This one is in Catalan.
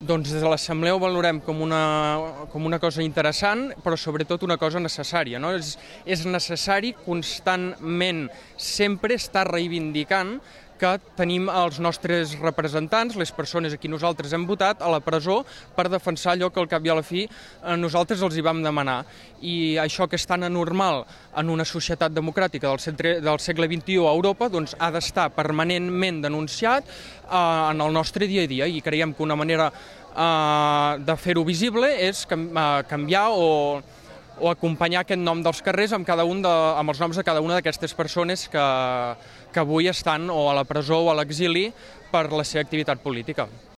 Doncs des de l'Assemblea ho valorem com una cosa interessant, però sobretot una cosa necessària, no? És necessari constantment sempre estar reivindicant que tenim els nostres representants, les persones a qui nosaltres hem votat, a la presó per defensar allò que al cap i a la fi nosaltres els hi vam demanar. I això que és tan anormal en una societat democràtica del segle XXI a Europa doncs ha d'estar permanentment denunciat en el nostre dia a dia, i creiem que una manera de fer-ho visible és canviar o acompanyar aquest nom dels carrers amb els noms de cada una d'aquestes persones que avui estan o a la presó o a l'exili per la seva activitat política.